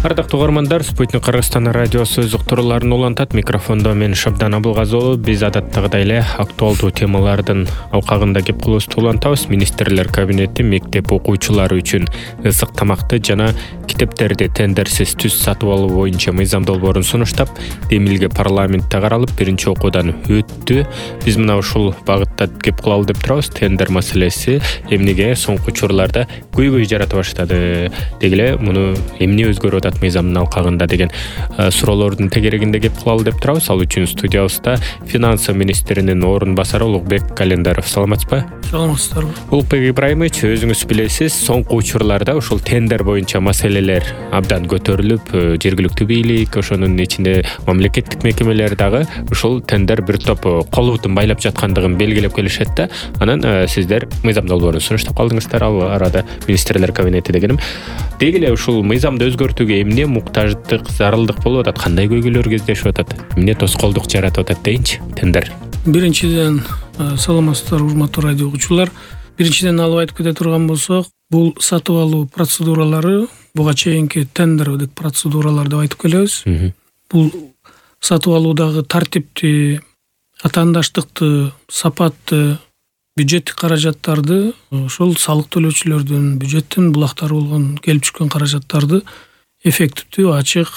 Ардактуу угармандар, Спутник Кыргызстан радиосу өз уктурууларын улантат. Микрофондо мен Шабдан Абылгазы. Биз адаттагыдай эле актуалдуу темалардын алкагында кеп кылыбызды улантабыз. Министрлер кабинети мектеп окуучулары үчүн ысык тамакты жана китептерди тендерсиз түз сатып алуу боюнча мыйзам долбоорун сунуштап, демилге парламентте каралып, биринчи окуудан өттү. Биз мына ушул багытта кеп кылалы деп турабыз. Тендер маселеси эмнеге соңку учурларда көйгөй жарата баштады, дегиле муну эмне өзгөрүп атат мыйзамдын алкагында деген суроолордун тегерегинде кеп кылалы деп турабыз. Ал үчүн студиябызда финансы министринин орун басары Улукбек Календаров. Саламатсызбы? Саламатсыздарбы. Улукбек Ибраимович, өзүңүз билесиз, соңку учурларда ушул тендер боюнча маселелер абдан көтөрүлүп, жергиликтүү бийлик, ошонун ичинде мамлекеттик мекемелер дагы ушул тендер бир топ кол бутун байлап жаткандыгын белгилеп келишет да. Анан сиздер мыйзам долбоорун сунуштап калдыңыздар, ал арада министрлер кабинети дегеним. Дегиле ушул мыйзамды өзгөртүүгө эмне муктаждык, зарылдык болуп атат, кандай көйгөйлөр кездешип атат, эмне тоскоолдук жаратып атат дейинчи тендер? Биринчиден, саламатсыздар урматтуу радио угуучулар. Биринчиден алып айтып кете турган болсок, бул сатып алуу процедуралары буга чейинки тендердик процедуралар деп айтып келебиз. Бул сатып алуудагы тартипти, атаандаштыкты, сапатты, бюджеттик каражаттарды, ошол салык төлөөчүлөрдүн бюджеттин булактары болгон келип түшкөн каражаттарды эффективдүү, ачык,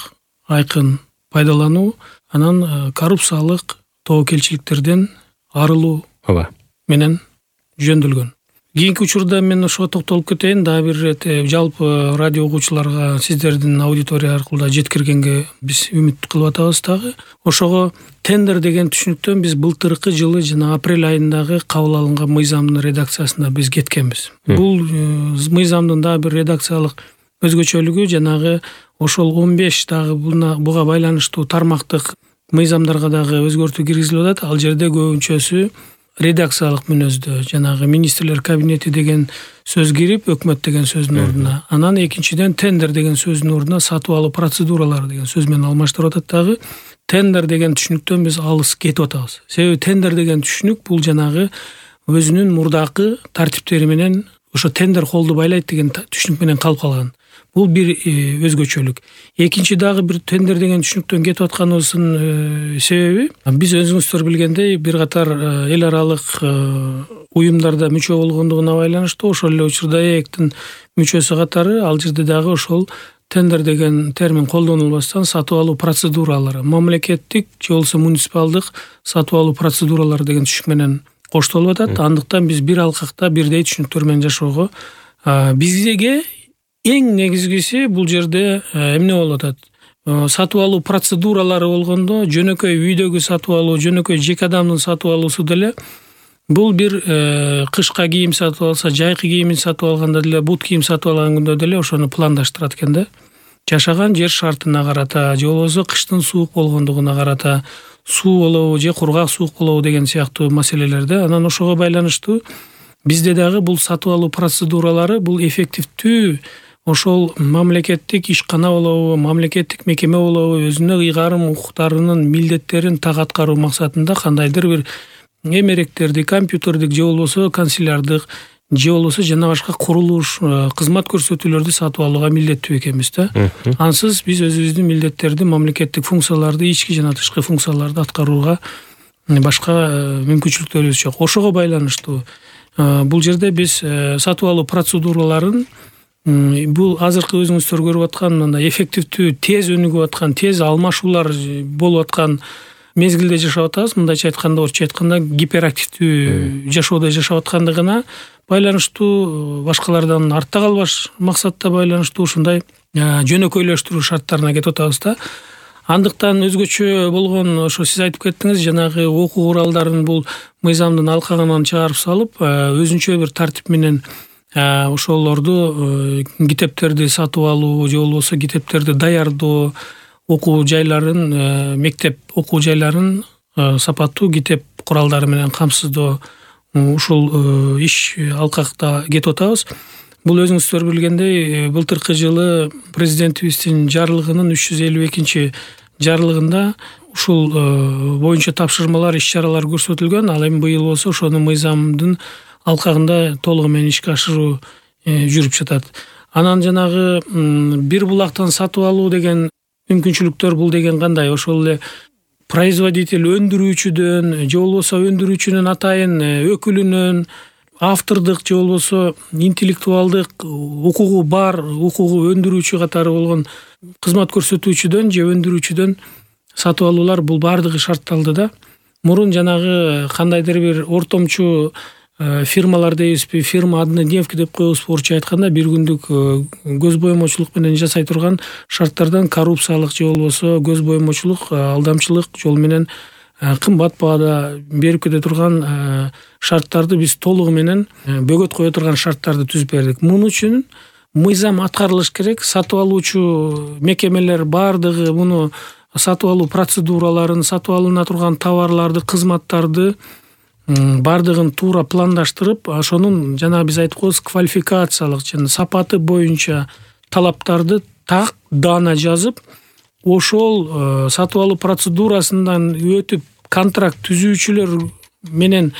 айкын пайдалануу, анан коррупциялык тобокелчиликтерден арылуу менен жөндөлгөн. Кийинки учурда мен ошого токтолуп кетейин, дагы бир ирет жалпы радио угуучуларга сиздердин аудитория аркылуу жеткиргенге биз үмүт кылып атабыз дагы. Ошого тендер деген түшүнүктөн биз былтыркы жылы жана апрель айындагы кабыл алынган мыйзамдын редакциясында биз кеткенбиз. Бул мыйзамдын дагы бир редакциялык өзгөчөлүгү жанагы ошол 15 дагы буга байланыштуу тармактык мыйзамдарга дагы өзгөртүү киргизилип атат. Ал жерде көбүнчөсү редакциялык мүнөздө жанагы министрлер кабинети деген сөз кирип, өкмөт деген сөздүн ордуна, анан экинчиден тендер деген сөздүн ордуна сатып алуу процедуралары деген сөз менен алмаштырып атат дагы. Тендер деген түшүнүктөн биз алыс кетип атабыз. Себеби тендер деген түшүнүк бул жанагы өзүнүн мурдакы тартиптери менен ошо тендер холду байлайт деген түшүнүк менен калып калган. Бул бир өзгөчөлүк. Экинчи дагы бир тендер деген түшүнүктөн кетип атканыбыздын себеби, биз өзүңүздөр билгендей бир катар эл аралык уюмдарда мүчө болгондугуна байланыштуу, ошол эле учурда ЭЭКтин мүчөсү катары ал жерде дагы ошол тендер деген термин колдонулбастан сатып алуу процедуралары, мамлекеттик же болбосо муниципалдык сатып алуу процедуралары деген түшүнүк менен коштолуп атат. Андыктан биз бир алкакта бирдей түшүнүктөр менен жашоого, бизге эң негизгиси бул жерде эмне болуп атат? Сатып алуу процедуралары болгондо жөнөкөй үйдөгү сатып алуу, жөнөкөй жеке адамдын сатып алуусу деле бул бир кышка кийим сатып алса, жайкы кийимин сатып алганда деле, бут кийим сатып алганда деле ошону пландаштырат экен да. Жашаган жер шартына карата, же болбосо кыштын суук болгондугуна карата, суу болобу же кургак суук болобу деген сыяктуу маселелерде. Анан ошого байланыштуу бизде дагы бул сатып алуу процедуралары бул эффективдүү ошол мамлекеттик ишкана болобу, мамлекеттик мекеме болобу, өзүнө ыйгарым укуктарынын милдеттерин так аткаруу максатында кандайдыр бир эмеректерди, компьютердик же болбосо канцелярдык же болбосо жана башка курулуш, кызмат көрсөтүүлөрдү сатып алууга милдеттүү экенбиз да. Ансыз биз өзүбүздүн милдеттерди, мамлекеттик функцияларды, ички жана тышкы функцияларды аткарууга башка мүмкүнчүлүктөрүбүз жок. Ошого байланыштуу бул жерде биз сатып алуу процедураларын бул азыркы өзүңүздөр көрүп аткан мындай эффективдүү, тез өнүгүп аткан, тез алмашуулар болуп аткан мезгилде жашап атабыз. Мындайча айтканда, орусча айтканда гиперактивдүү жашоодо жашап аткандыгына байланыштуу, башкалардан артта калбаш максатта байланыштуу ушундай жөнөкөйлөштүрүү шарттарына кетип атабыз да. Андыктан өзгөчө болгон ошо сиз айтып кеттиңиз, жанагы окуу куралдарын бул мыйзамдын алкагынан чыгарып салып, өзүнчө бир тартип менен ошолорду китептерди сатып алуу же болбосо китептерди даярдоо, окуу жайларын, мектеп окуу жайларын сапаттуу китеп куралдары менен камсыздоо, ушул иш алкакта кетип атабыз. Бул өзүңүздөр билгендей, былтыркы жылы президентибиздин жарлыгынын 352 жарлыгында ушул боюнча тапшырмалар, иш-чаралар көрсөтүлгөн. Ал эми быйыл болсо ошонун мыйзамдын алкагында толугу менен ишке ашыруу жүрүп жатат. Анан жанагы бир булактан сатып алуу деген мүмкүнчүлүктөр бул деген кандай? Ошол эле производитель өндүрүүчүдөн же болбосо өндүрүүчүнүн атайын өкүлүнөн автордук же болбосо интеллектуалдык укугу бар, укугу өндүрүүчү катары болгон кызмат көрсөтүүчүдөн же өндүрүүчүдөн сатып алуулар бул баардыгы шартталды да. Мурун жанагы кандайдыр бир ортомчу фирмалар дейбизби, фирма однодневка деп коебузбу орусча айтканда, бир күндүк көз боемочулук менен жасай турган шарттардан коррупциялык же болбосо көз боемочулук, алдамчылык жол менен кымбат баада берип кете турган шарттарды биз толугу менен бөгөт кое турган шарттарды түзүп бердик. Муну үчүн мыйзам аткарылыш керек. Сатып алуучу мекемелер баардыгы муну сатып алуу процедураларын, сатып алына турган товарларды, кызматтарды баардыгын туура пландаштырып, ошонун жана биз айтып коебуз квалификациялык жана сапаты боюнча талаптарды так даана жазып, ошол сатып алуу процедурасынан өтүп контракт түзүүчүлөр менен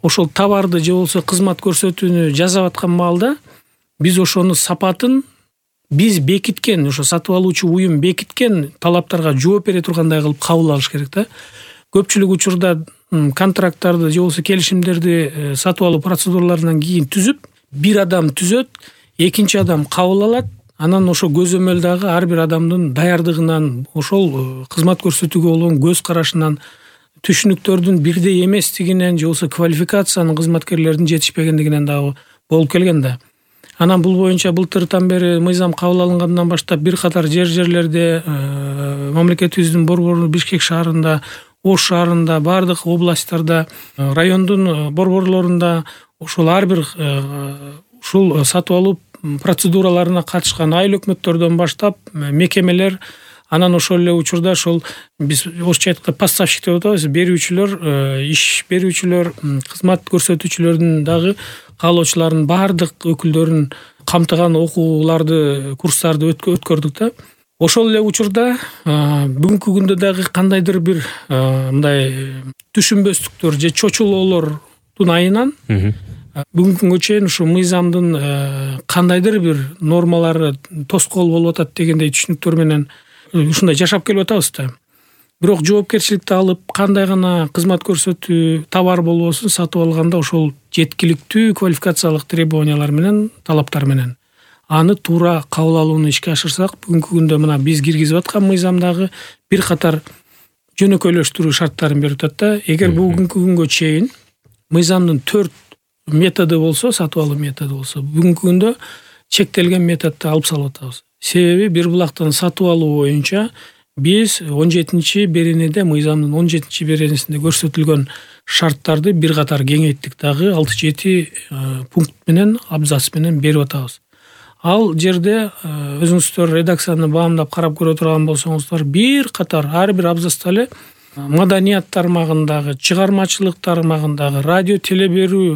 ошол товарды же болбосо кызмат көрсөтүүнү жасап аткан маалда биз ошонун сапатын биз бекиткен, ошо сатып алуучу уюм бекиткен талаптарга жооп бере тургандай кылып кабыл алыш керек да. Көпчүлүк учурда контракттарды же болбосо келишимдерди сатып алуу процедураларынан кийин түзүп, бир адам түзөт, экинчи адам кабыл алат. Анан ошо көзөмөл дагы ар бир адамдын даярдыгынан, ошол кызмат көрсөтүүгө болгон көз карашынан, түшүнүктөрдүн бирдей эместигинен же болбосо квалификациянын кызматкерлердин жетишпегендигинен дагы болуп келген да. Анан бул боюнча былтыртан бери мыйзам кабыл алынгандан баштап бир катар жерлерде мамлекетибиздин борбору Бишкек шаарында, Ош шаарында, бардык областтарда, райондун борборлорунда ошол ар бир ушул сатып алуу процедураларына катышкан айыл өкмөттөрдөн баштап мекемелер, анан ошол эле учурда ошол биз орусча айтканда поставщик деп атабыз, берүүчүлөр, иш берүүчүлөр, кызмат көрсөтүүчүлөрдүн дагы каалоочулардын баардык өкүлдөрүн камтыган окууларды, курстарды өткөрдүк да. Ошол эле учурда бүгүнкү күндө дагы кандайдыр бир мындай түшүнбөстүктөр же чочулоолордун айынан бүгүнкү күнгө чейин ушу мыйзамдын кандайдыр бир нормалары тоскоол болуп атат дегендей түшүнүктөр менен ушундай жашап келип атабыз да. Бирок жоопкерчиликти алып, кандай гана кызмат көрсөтүү товар болбосун сатып алганда ошол жеткиликтүү квалификациялык требованиялар менен, талаптар менен аны туура кабыл алууну ишке ашырсак, бүгүнкү күндө мына биз киргизип аткан мыйзамдагы бир катар жөнөкөйлөштүрүү шарттарын берип атат да. Эгер бүгүнкү күнгө чейин мыйзамдын 4 методу болсо, сатып алуу методу болсо, бүгүнкү күндө чектелген методду алып салып атабыз. Себеби бир булактан сатып алуу боюнча биз 17-беренеде, мыйзамдын 17-беренесинде көрсөтүлгөн шарттарды бир катар кеңейттик дагы 6-7 пункт менен, абзац менен берип атабыз. Ал жерде өзүңүздөр редакцияны баамдап карап көрө турган болсоңуздар, бир катар ар бир абзацта эле маданият тармагындагы, чыгармачылык тармагындагы, радио телеберүү,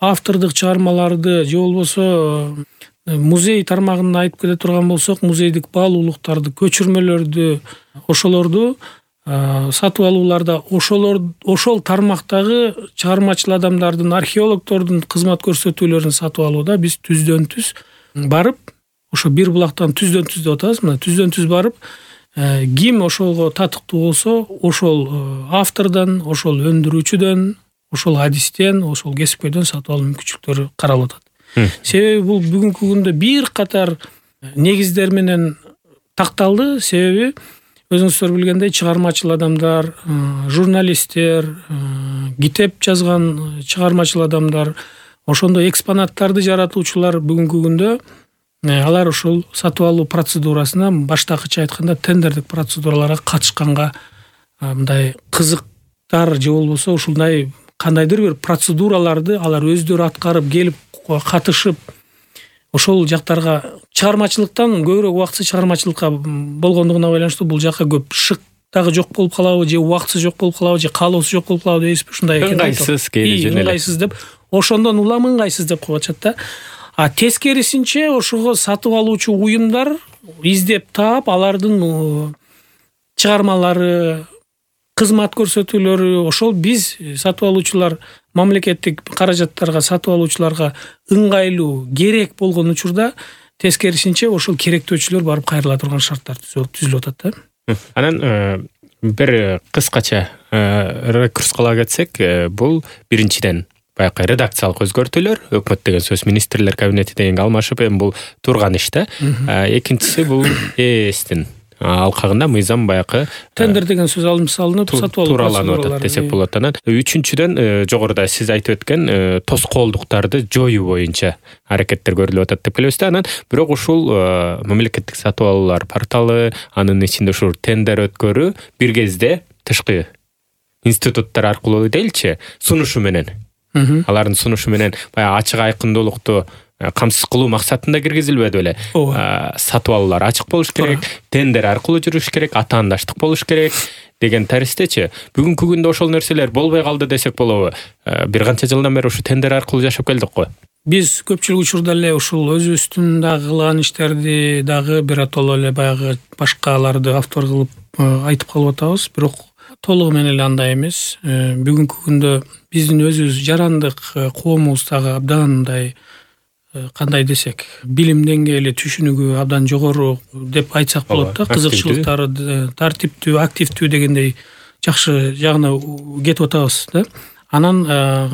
автордук чыгармаларды же болбосо музей тармагында айтып кете турган болсок, музейдик баалуулуктарды, көчүрмөлөрдү, ошолорду сатып алууларда ошол тармактагы чыгармачыл адамдардын, археологдордун кызмат көрсөтүүлөрүн сатып алууда биз түздөн түз барып, ошо бир булактан түздөн түз деп атабыз, мына түздөн түз барып, ким ошого татыктуу болсо, ошол автордон, ошол өндүрүүчүдөн, ошол адистен, ошол кесипкөйдөн сатып алуу мүмкүнчүлүктөрү каралып атат. Себеби бул бүгүнкү күндө бир катар негиздер менен такталды. Себеби өзүңүздөр билгендей чыгармачыл адамдар, журналисттер, китеп жазган чыгармачыл адамдар, ошондой экспонаттарды жаратуучулар бүгүнкү күндө алар ошол сатып алуу процедурасына, баштакыча айтканда тендердик процедураларга катышканга мындай кызыктар же болбосо ушундай кандайдыр бир процедураларды алар өздөрү аткарып келип катышып, ошол жактарга чыгармачылыктан көбүрөөк убактысы чыгармачылыкка болгондугуна байланыштуу бул жакка көп шык дагы жок болуп калабы, же убактысы жок болуп калабы, же каалоосу жок болуп калабы дейсизби, ушундай экен. Ыңгайсыз кейде ыңгайсыз деп, ошондон улам ыңгайсыз деп коюп атышат да. А тескерисинче ошого сатып алуучу уюмдар издеп таап, алардын чыгармалары, кызмат көрсөтүүлөрү, ошол биз сатып алуучулар мамлекеттик каражаттарга сатып алуучуларга ыңгайлуу, керек болгон учурда тескерисинче ошол керектөөчүлөр барып кайрыла турган шарттар түзүлүп атат да. Анан бир кыскача рекурс кыла кетсек, бул биринчиден баягы редакциялык өзгөртүүлөр, өкмөт деген сөз министрлер кабинети дегенге алмашып, эми бул турган иш да. Экинчиси бул ЭСтин алкагында мыйзам баягы тендер деген сөз алынып салынып, сатып алуу туураланып атат десек болот. Анан үчүнчүдөн жогоруда сиз айтып өткөн тоскоолдуктарды жоюу боюнча аракеттер көрүлүп атат деп келебиз да. Анан бирок ушул мамлекеттик сатып алуулар порталы, анын ичинде ушул тендер өткөрүү бир кезде тышкы институттар аркылуу дейчи, сунушу менен, алардын сунушу менен баягы ачык айкындуулукту камсыз кылуу максатында киргизилбеди беле? Сатып алуулар ачык болуш керек, тендер аркылуу жүрүш керек, атаандаштык болуш керек деген таристечи. Бүгүнкү күндө ошол нерселер болбой калды десек болобу? Бир канча жылдан бери ушу тендер аркылуу жашап келдик го. Биз көпчүлүк учурда эле ушул өзүбүздүн дагы кылган иштерди дагы биротоло эле баягы башкаларды автор кылып айтып калып атабыз, бирок толугу менен эле андай эмес. Бүгүнкү күндө биздин өзүбүз жарандык коомубуз дагы абдан мындай кандай десек, билим деңгээли, түшүнүгү абдан жогору деп айтсак болот да. Кызыкчылыктары тартиптүү, активдүү дегендей жакшы жагына кетип атабыз да. Анан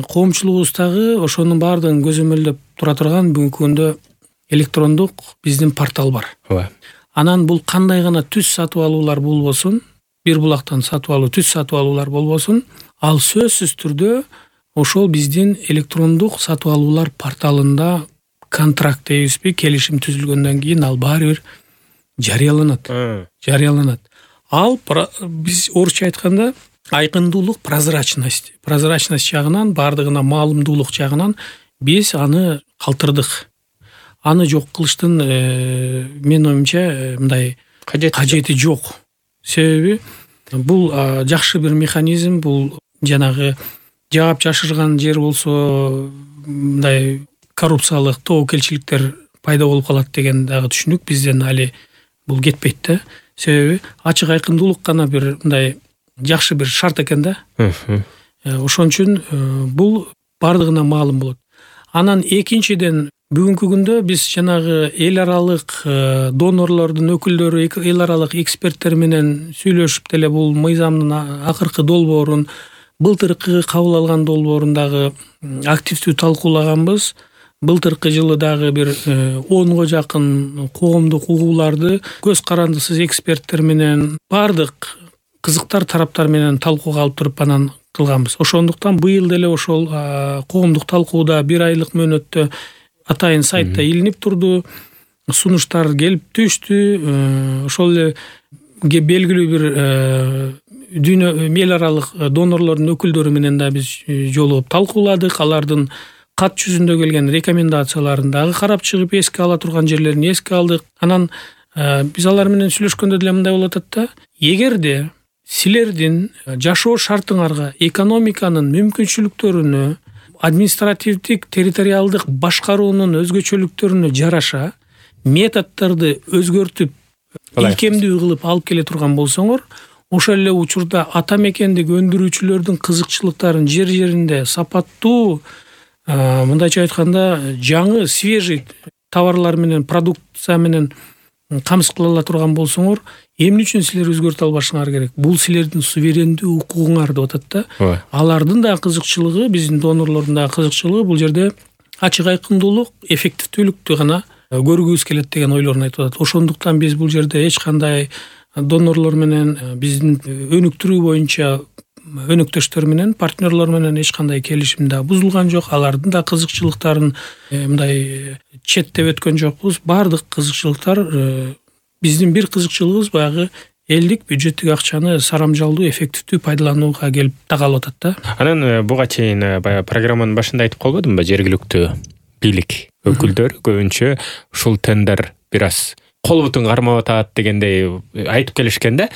коомчулугубуз дагы ошонун баардыгын көзөмөлдөп тура турган бүгүнкү күндө электрондук биздин портал бар. Анан бул кандай гана түз сатып алуулар болбосун, бир булактан сатып алуу, түз сатып алуулар болбосун, ал сөзсүз түрдө ошол биздин электрондук сатып алуулар порталында контракт дейбизби, келишим түзүлгөндөн кийин ал баары бир жарыяланат. Ал биз орусча айтканда айкындуулук, прозрачность жагынан, баардыгына маалымдуулук жагынан биз аны калтырдык. Аны жок кылыштын менин оюмча мындай кажети жок. Себеби бул жакшы бир механизм, бул жанагы жаап жашырган жер болсо мындай коррупциялык тобокелчиликтер пайда болуп калат деген дагы түшүнүк бизден али бул кетпейт да. Себеби ачык айкындуулук гана бир мындай жакшы бир шарт экен да. Ошон үчүн бул баардыгына маалым болот. Анан экинчиден бүгүнкү күндө биз жанагы эл аралык донорлордун өкүлдөрү, эл аралык эксперттер менен сүйлөшүп деле бул мыйзамдын акыркы долбоорун, былтыркы кабыл алган долбоорун дагы активдүү талкуулаганбыз. Былтыркы жылы дагы бир 10го жакын коомдук угууларды көз карандысыз эксперттер менен баардык кызыктар тараптар менен талкууга алып туруп анан кылганбыз. Ошондуктан быйыл деле ошол коомдук талкууда бир айлык мөөнөттө атайын сайтта илинип турду, сунуштар келип түштү. Ошол эле белгилүү бир дүйнө эл аралык донорлордун өкүлдөрү менен да биз жолугуп талкууладык. Алардын кат жүзүндө келген рекомендацияларын дагы карап чыгып, эске ала турган жерлерин эске алдык. Анан биз алар менен сүйлөшкөндө деле мындай болуп атат да: эгерде силердин жашоо шартыңарга, экономиканын мүмкүнчүлүктөрүнө, административдик территориалдык башкаруунун өзгөчөлүктөрүнө жараша методдорду өзгөртүп, илкемдүү кылып алып келе турган болсоңор, ошол эле учурда ата мекендик өндүрүүчүлөрдүн кызыкчылыктарын жер жеринде сапаттуу, мындайча айтканда жаңы, свежий товарлар менен, продукция менен камсыз кыла ала турган болсоңор, эмне үчүн силер өзгөртө албашыңар керек? Бул силердин суверендүү укугуңар деп атат да. Алардын да кызыкчылыгы, биздин донорлордун да кызыкчылыгы бул жерде ачык айкындуулук, эффективдүүлүктү гана көргүбүз келет деген ойлорун айтып атат. Ошондуктан биз бул жерде эч кандай донорлор менен, биздин өнүктүрүү боюнча өнөктөштөр менен, партнерлор менен эч кандай келишим да бузулган жок. Алардын да кызыкчылыктарын мындай четтеп өткөн жокпуз. Баардык кызыкчылыктар, биздин бир кызыкчылыгыбыз баягы элдик бюджеттик акчаны сарамжалдуу, эффективдүү пайдаланууга келип тагалып атат да. Анан буга чейин баягы программанын башында айтып калбадымбы, жергиликтүү бийлик өкүлдөрү көбүнчө ушул тендер бир аз кол бутун кармап атат дегендей айтып келишкен да.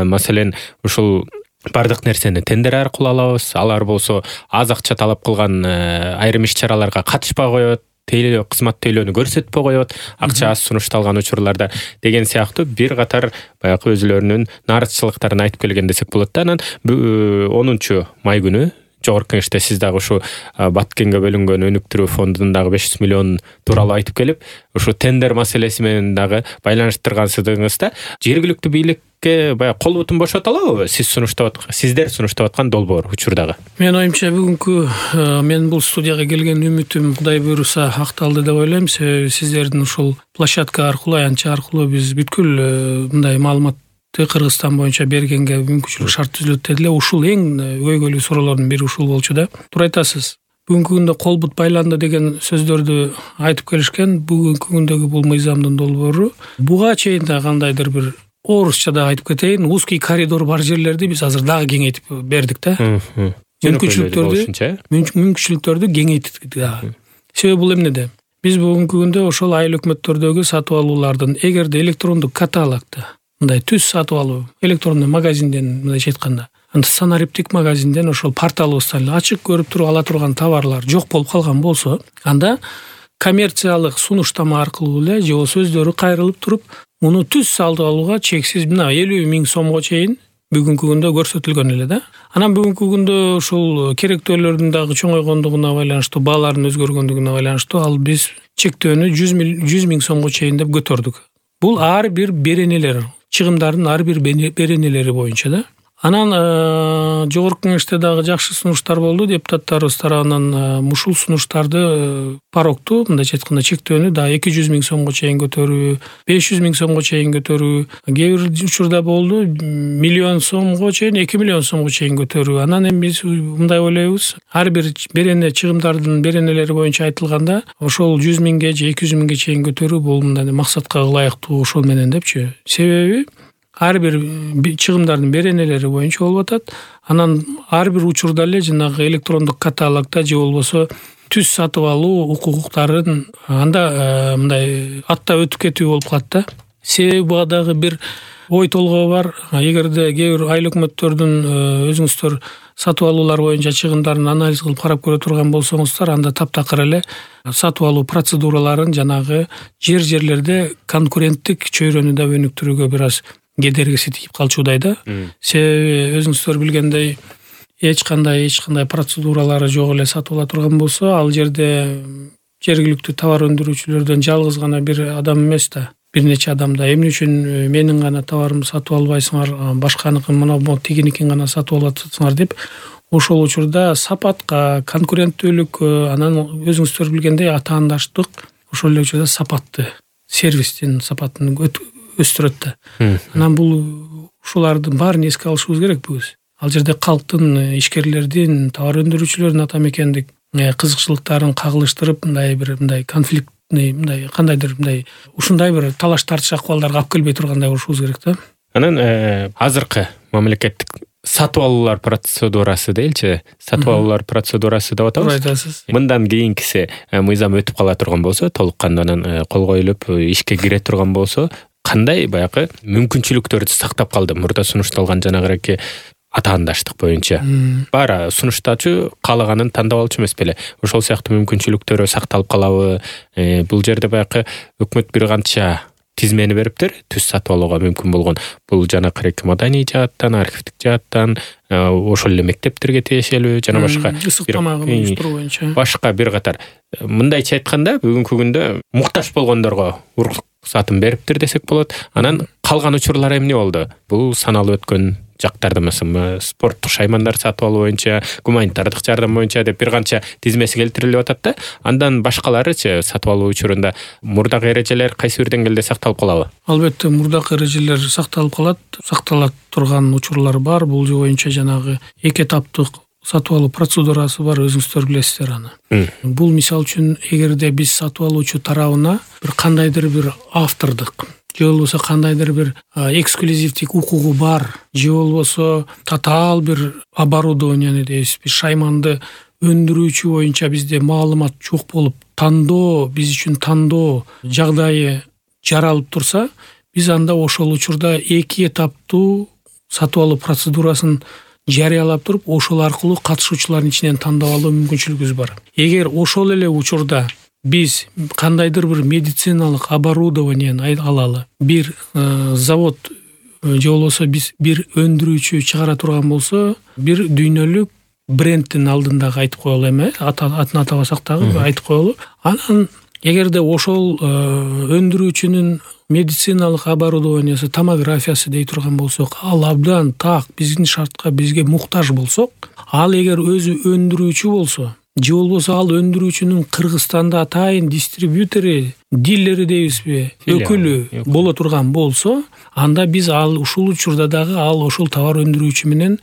Маселен, ушул бардык нерсени тендер аркылуу алабыз, алар болсо аз акча талап кылган айрым иш-чараларга катышпай коет, тейлөө, кызмат тейлөөнү көрсөтпөй коет, акча аз сунушталган учурларда деген сыяктуу бир катар баягы өзүлөрүнүн нарыхчылыктарын айтып келген десек болот да. Анан 10 май күнү жогорку кеңеште сиз дагы ушу Баткенге бөлүнгөн өнүктүрүү фондунун дагы 500 миллион тууралуу айтып келип, ушу тендер маселеси менен дагы байланыштыргансызды да. Жергиликтүү бийликке баягы кол бутун бошото алабы сиздер сунуштап аткан долбоор учурдагы? Менин оюмча бүгүнкү мен бул студияга келген үмүтүм Кудай буйруса акталды деп ойлойм. Себеби сиздердин ушул площадка аркылуу, аянтча аркылуу биз бүткүл мындай маалыматты Кыргызстан боюнча бергенге мүмкүнчүлүк шарт түзүлөт деди эле. Ушул эң көйгөйлүү суроолордун бири ушул болчу да. Туура айтасыз. Бүгүнкү күндө кол бут байланды деген сөздөрдү айтып келишкен. Бүгүнкү күндөгү бул мыйзамдын долбоору буга чейин да кандайдыр бир орусча да айтып кетейин, узкий коридор бар жерлерди биз азыр дагы кеңейтип бердик да. Мүмкүнчүлүктөрдү кеңейтип дагы. Себеби бул эмнеде? Биз бүгүнкү күндө ошол айыл өкмөттөрдөгү сатып алуулардын эгерде электрондук каталогдо мындай түз сатып алуу, электрондук магазинден мындайча айтканда, санариптик магазинден ошол порталыбыздан ачык көрүп туруп ала турган товарлар жок болуп калган болсо, анда коммерциялык сунуштама аркылуу эле же сөздөрү кайрылып туруп, муну түз сатып алууга чексиз 50 000 сомго чейин бүгүнкү күндө көрсөтүлгөн эле да. Анан бүгүнкү күндө ушул керектөөлөрдүн дагы чоңойгондугуна байланыштуу, баалардын өзгөргөндүгүнө байланыштуу ал биз чектөөнү 100 000 сомго чейин деп көтөрдүк. Бул ар бир беренелер, чыгымдардын ар бир беренелери боюнча да. Анан жогорку кеңеште дагы жакшы сунуштар болду. Депутаттарыбыз тарабынан ушул сунуштарды порогту, мындайча айтканда чектөөнү да 200 000 сомго чейин көтөрүү, 500 000 сомго чейин көтөрүү, кээ бир учурда болду 1 миллион сомго чейин, 2 миллион сомго чейин көтөрүү. Анан эми биз мындай ойлойбуз, ар бир берене чыгымдардын беренелери боюнча айтылганда, ошол 100 000ге же 200 000ге чейин көтөрүү бул мындай максатка ылайыктуу ошол менен депчи. Себеби ар бир чыгымдардын беренелери боюнча болуп атат. Анан ар бир учурда эле жанагы электрондук каталогдо же болбосо түз сатып алуу укуктарын анда мындай аттап өтүп кетүү болуп калат да. Себеби буга дагы бир ой толгоо бар. Эгерде кээ бир айыл өкмөттөрдүн өзүңүздөр сатып алуулар боюнча чыгымдарын анализ кылып карап көрө турган болсоңуздар, анда таптакыр эле сатып алуу процедураларын жанагы жерлерде конкуренттик чөйрөнү да өнүктүрүүгө бир аз кедергиси тийип калчудай да. Себеби өзүңүздөр билгендей эч кандай процедуралары жок эле сатып ала турган болсо, ал жерде жергиликтүү товар өндүрүүчүлөрдөн жалгыз гана бир адам эмес да, бир нече адам да эмне үчүн менин гана товарымды сатып албайсыңар, башканыкын мына тигиникин гана сатып аласыңар деп ошол учурда сапатка, конкуренттүүлүккө, анан өзүңүздөр билгендей атаандаштык ошол эле учурда сапатты, сервистин сапатын өстүрөт да. Анан бул ушулардын баарын эске алышыбыз керек биз. Ал жерде калктын, ишкерлердин, товар өндүрүүчүлөрдүн ата мекендик кызыкчылыктарын кагылыштырып, мындай конфликтный, кандайдыр ушундай бир талаш тартыш акыбалдарга алып келбей тургандай болушубуз керек да. Анан азыркы мамлекеттик сатып алуулар процедурасы дейинчи, сатып алуулар процедурасы деп атабыз. Айтасыз. Мындан кийинкиси мыйзам өтүп кала турган болсо, толук кандуу кол коюлуп ишке кире турган болсо, кандай баягы мүмкүнчүлүктөрдү сактап калды мурда сунушталган жанагы атаандаштык боюнча? Баары сунуштачу каалаганын тандап алчу эмес беле? Ошол сыяктуу мүмкүнчүлүктөрү сакталып калабы? Бул жерде баягы өкмөт бир канча тизмени бериптир, түз сатып алууга мүмкүн болгон. Бул жанакы маданий жааттан, архивдик жааттан, ошол эле мектептерге тиешелүү жана башка ысык тамагын уюштуруу боюнча. Башка бир катар. Мындайча айтканда, бүгүнкү күндө муктаж болгондорго уруксатын бериптир десек болот. Анан калган учурлар эмне болду? Бул саналып өткөн жактарда мисалы спорттук шаймандар сатып алуу боюнча, гуманитардык жардам боюнча деп бир канча тизмеси келтирилип атат да. Андан башкаларычы сатып алуу учурунда мурдагы эрежелер кайсы бир деңгээлде сакталып калабы? Албетте мурдагы эрежелер сакталып калат. Сактала турган учурлар бар. Бул боюнча жанагы эки этаптык сатып алуу процедурасы бар, өзүңүздөр билесиздер аны. Бул мисалы үчүн эгерде биз сатып алуучу тарабына бир кандайдыр бир автордук же болбосо кандайдыр бир эксклюзивдик укугу бар, же болбосо татаал бир оборудование дейбиз, биз шайманды өндүрүүчү боюнча бизде маалымат жок болуп, тандоо биз үчүн тандоо жагдайы жаралып турса, биз анда ошол учурда эки этаптуу сатып алуу процедурасын жарыялап туруп, ошол аркылуу катышуучулардын ичинен тандап алуу мүмкүнчүлүгүбүз бар. Эгер ошол эле учурда биз кандайдыр бир медициналык оборудование алалы, бир завод же болбосо биз бир өндүрүүчү чыгара турган болсо, бир дүйнөлүк брендтин алдындагы айтып коелу эме, атын атабасак дагы айтып коелу. Анан эгерде ошол өндүрүүчүнүн медициналык оборудованиясы, томографиясы дей турган болсок, ал абдан так биздин шартка бизге муктаж болсок, ал эгер өзү өндүрүүчү болсо же болбосо ал өндүрүүчүнүн Кыргызстанда атайын дистрибьютери, дилери дейбизби, өкүлү боло турган болсо, анда биз ал ушул учурда дагы ал ошол товар өндүрүүчү менен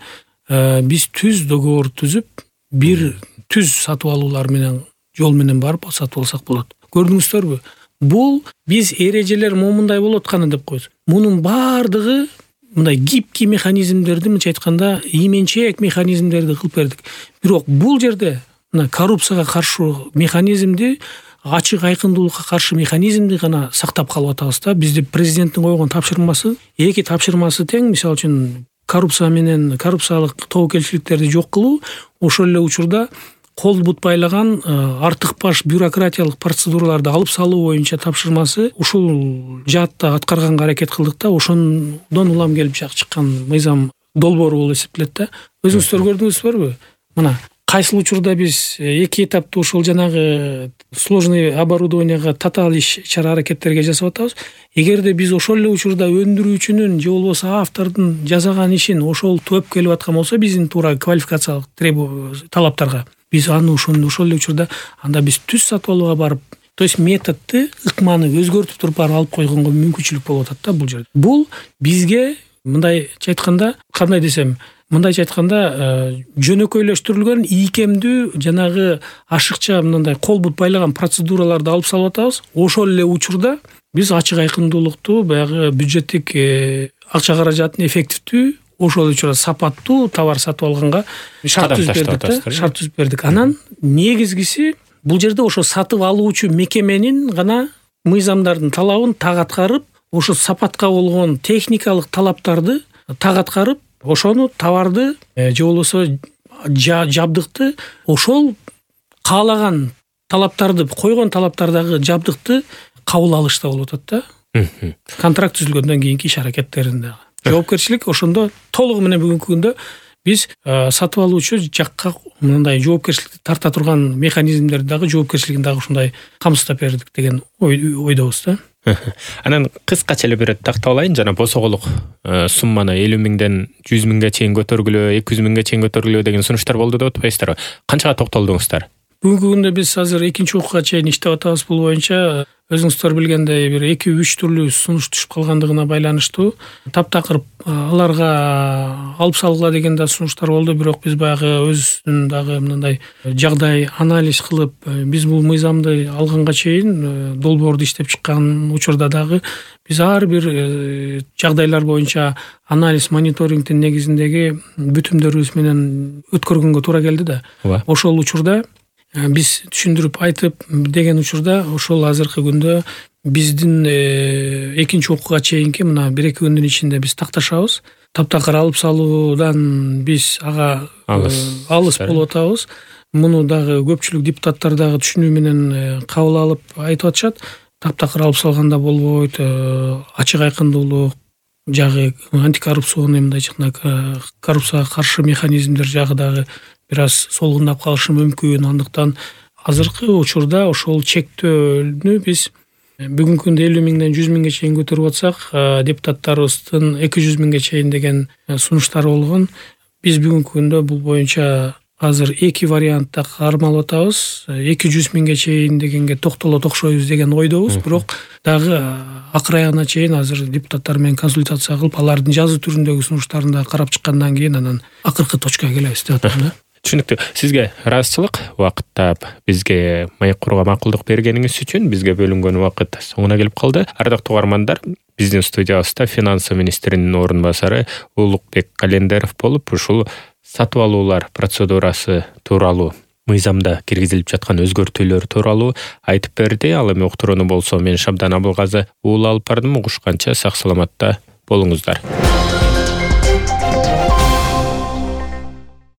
биз түз договор түзүп, бир түз сатып алуулар менен жол менен барып сатып алсак болот. Көрдүңүздөрбү? Бул биз эрежелер момундай болот кана деп коебуз. Мунун баардыгы мындай гибкий механизмдерди, мынча айтканда, ийменчээк механизмдерди кылып бердик. Бирок бул жерде мына коррупцияга каршы механизмди, ачык айкындуулукка каршы механизмди гана сактап калып атабыз да. Бизде президенттин койгон тапшырмасы, эки тапшырмасы тең, мисалы үчүн коррупция менен коррупциялык тобокелчиликтерди жок кылуу, ошол эле учурда кол бут байлаган артык баш бюрократиялык процедураларды алып салуу боюнча тапшырмасы ушул жаатта аткарганга аракет кылдык да, ошондон улам келип чыккан мыйзам долбоору болуп эсептелет да. Өзүңүздөр көрдүңүзбүрбү? Мына кайсыл учурда биз эки этаптуу ошол жанагы сложный оборудованияга татаал иш-чара аракеттерге жасап атабыз. Эгерде биз ошол эле учурда өндүрүүчүнүн же болбосо автордун жасаган ишин ошол төп келип аткан болсо, биздин туура квалификациялык талаптарга, биз аны ошол эле учурда анда биз түз сатып алууга барып, то есть методду, ыкманы өзгөртүп туруп барып алып койгонго мүмкүнчүлүк болуп атат да бул жерде. Бул бизге мындайча айтканда, кандай десем, мындайча айтканда жөнөкөйлөштүрүлгөн ийкемдүү жанагы ашыкча мындай кол бут байлаган процедураларды алып салып атабыз. Ошол эле учурда биз ачык айкындуулукту, баягы бюджеттик акча каражатын эффективдүү, ошол учурда сапаттуу товар сатып алганга шарт түзүп бердик. Анан негизгиси бул жерде ошо сатып алуучу мекеменин гана мыйзамдардын талабын так аткарып, ошо сапатка болгон техникалык талаптарды так аткарып, ошону товарды же болбосо жабдыкты ошол каалаган талаптарды, койгон талаптардагы жабдыкты кабыл алышта болуп атат да. Контракт түзүлгөндөн кийинки иш аракеттеринде жоопкерчилик ошондо толугу менен бүгүнкү күндө биз сатып алуучу жакка мындай жоопкерчиликти тарта турган механизмдерди дагы, жоопкерчилигин дагы ушундай камсыздап бердик деген ойдобуз да. Анан кыскача эле бир тактап алайын, жана босоголук сумманы 50 миңден 100 миңге чейин көтөргүлөө, 200 миңге чейин көтөргүлөө деген сунуштар болду деп атпайсыздарбы? Канчага токтолдуңуздар? Бүгүнкү күндө биз азыр экинчи окууга чейин иштеп атабыз. Бул боюнча өзүңүздөр билгендей бир 2-3 түрлүү сунуш түшүп калгандыгына байланыштуу таптакыр аларга алып салгыла деген да сунуштар болду. Бирок биз баягы өзүбүздүн дагы мындай жагдай анализ кылып, биз бул мыйзамды алганга чейин долбоорду иштеп чыккан учурда дагы биз ар бир жагдайлар боюнча анализ, мониторингдин негизиндеги бүтүмдөрүбүз менен өткөргөнгө туура келди да. Ошол учурда биз түшүндүрүп айтып деген учурда ошол азыркы күндө биздин экинчи окууга чейинки мына 1-2 күндүн ичинде биз такташабыз. Таптакыр алып салуудан биз ага алыс болуп атабыз. Муну дагы көпчүлүк депутаттар дагы түшүнүү менен кабыл алып айтып атышат. Таптакыр алып салганда болбойт, ачык айкындуулук жагы, антикоррупционный мындайча коррупцияга каршы механизмдер жагы дагы бир аз солгундап калышы мүмкүн. Андыктан азыркы учурда ошол чектөөнү биз бүгүнкү күндө 50 миңден 100 миңге чейин көтөрүп атсак, депутаттарыбыздын 200 миңге чейин деген сунуштары болгон. Биз бүгүнкү күндө бул боюнча азыр эки вариантта кармалып атабыз. 200 миңге чейин дегенге токтоло токшойбуз деген ойдобуз. Бирок дагы акыр аягына чейин азыр депутаттар менен консультация кылып, алардын жазуу түрүндөгү сунуштарын да карап чыккандан кийин анан акыркы точкага келебиз деп атам да. Түшүнүктүү. Сизге ыраазычылык, убакытта бизге маек курууга макулдук бергениңиз үчүн. Бизге бөлүнгөн убакыт соңуна келип калды. Ардактуу угармандар, биздин студиябызда финансы министринин орун басары Улукбек Календеров болуп, ушул сатып алуулар процедурасы тууралуу, мыйзамда киргизилип жаткан өзгөртүүлөр тууралуу айтып берди. Ал эми уктурууну болсо мен Шабдан Абылгазы уул алып бардым. Угушканча сак саламатта болуңуздар.